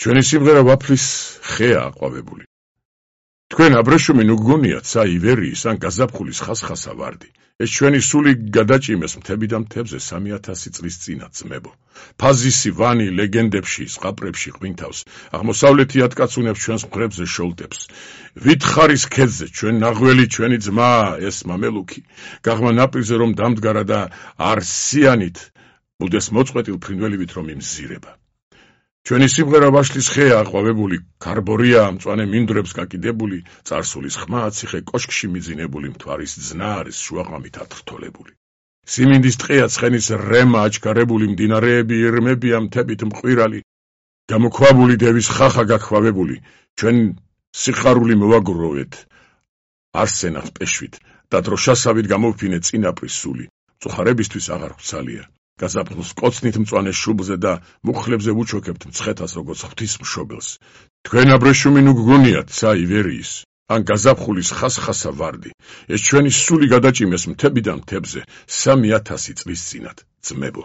ჩვენი სიმღერა ვაფლის ხეა აყვავებული. თქვენ აბრეშუმი ნუ გგონიათ ცა ივერიის ან გაზაფხულის ხასხასა ვარდი. ეს ჩვენი სული გადაჭიმეს მთები და მთებზე 3000 წლის წინა ძმებო. ფაზისი ვანი ლეგენდებში, ზღაპრებში ყვინთავს, აღმოსავლეთი ატკაცუნებს ჩვენს მხრებზე შოლტებს. ვითხარის ქედზე ჩვენ ნაღველი ჩვენი ძმა ეს მამელუქი, გაღმა ნაპირზე რომ დამდგარა და არსიანით ბუდეს მოწყვეტილ ფრინველივით რომ იმზირება. ჩვენი სიმღერა ვაშლის ხეა აყვავებული, კარბორია მწვანე მინდვრებს გაკიდებული, წარსულის ხმა ციხე კოშკში მიძინებული, მთვარის ძნა არის შუაღამით ათრთოლებული. სიმინდის ტყეა ცხენის რემა აჩქარებული, მდინარეები ირმებია მთებით მყვირალი, გამოქვაბული დევის ხახა გაქვავებული, ჩვენ სიხარული მოვაგროვეთ არსენად პეშვით და დროშასავით გამოვფინეთ წინაპრის სული, მწუხარებისთვის აღარ გვცალია. გაზაფხულს კოცნით მწვანე შუბლზე და მუხლებზე ვუჩოქებთ მცხეთას როგორც ღვთისმშობელს. თქვენ აბრეშუმი ნუ გგონიათ ცა ივერიის ან გაზაფხულის ხასხასა ვარდი. ეს ჩვენი სული გადაჭიმეს მთები და მთებზე 3000 წლის წინათ ძმებო.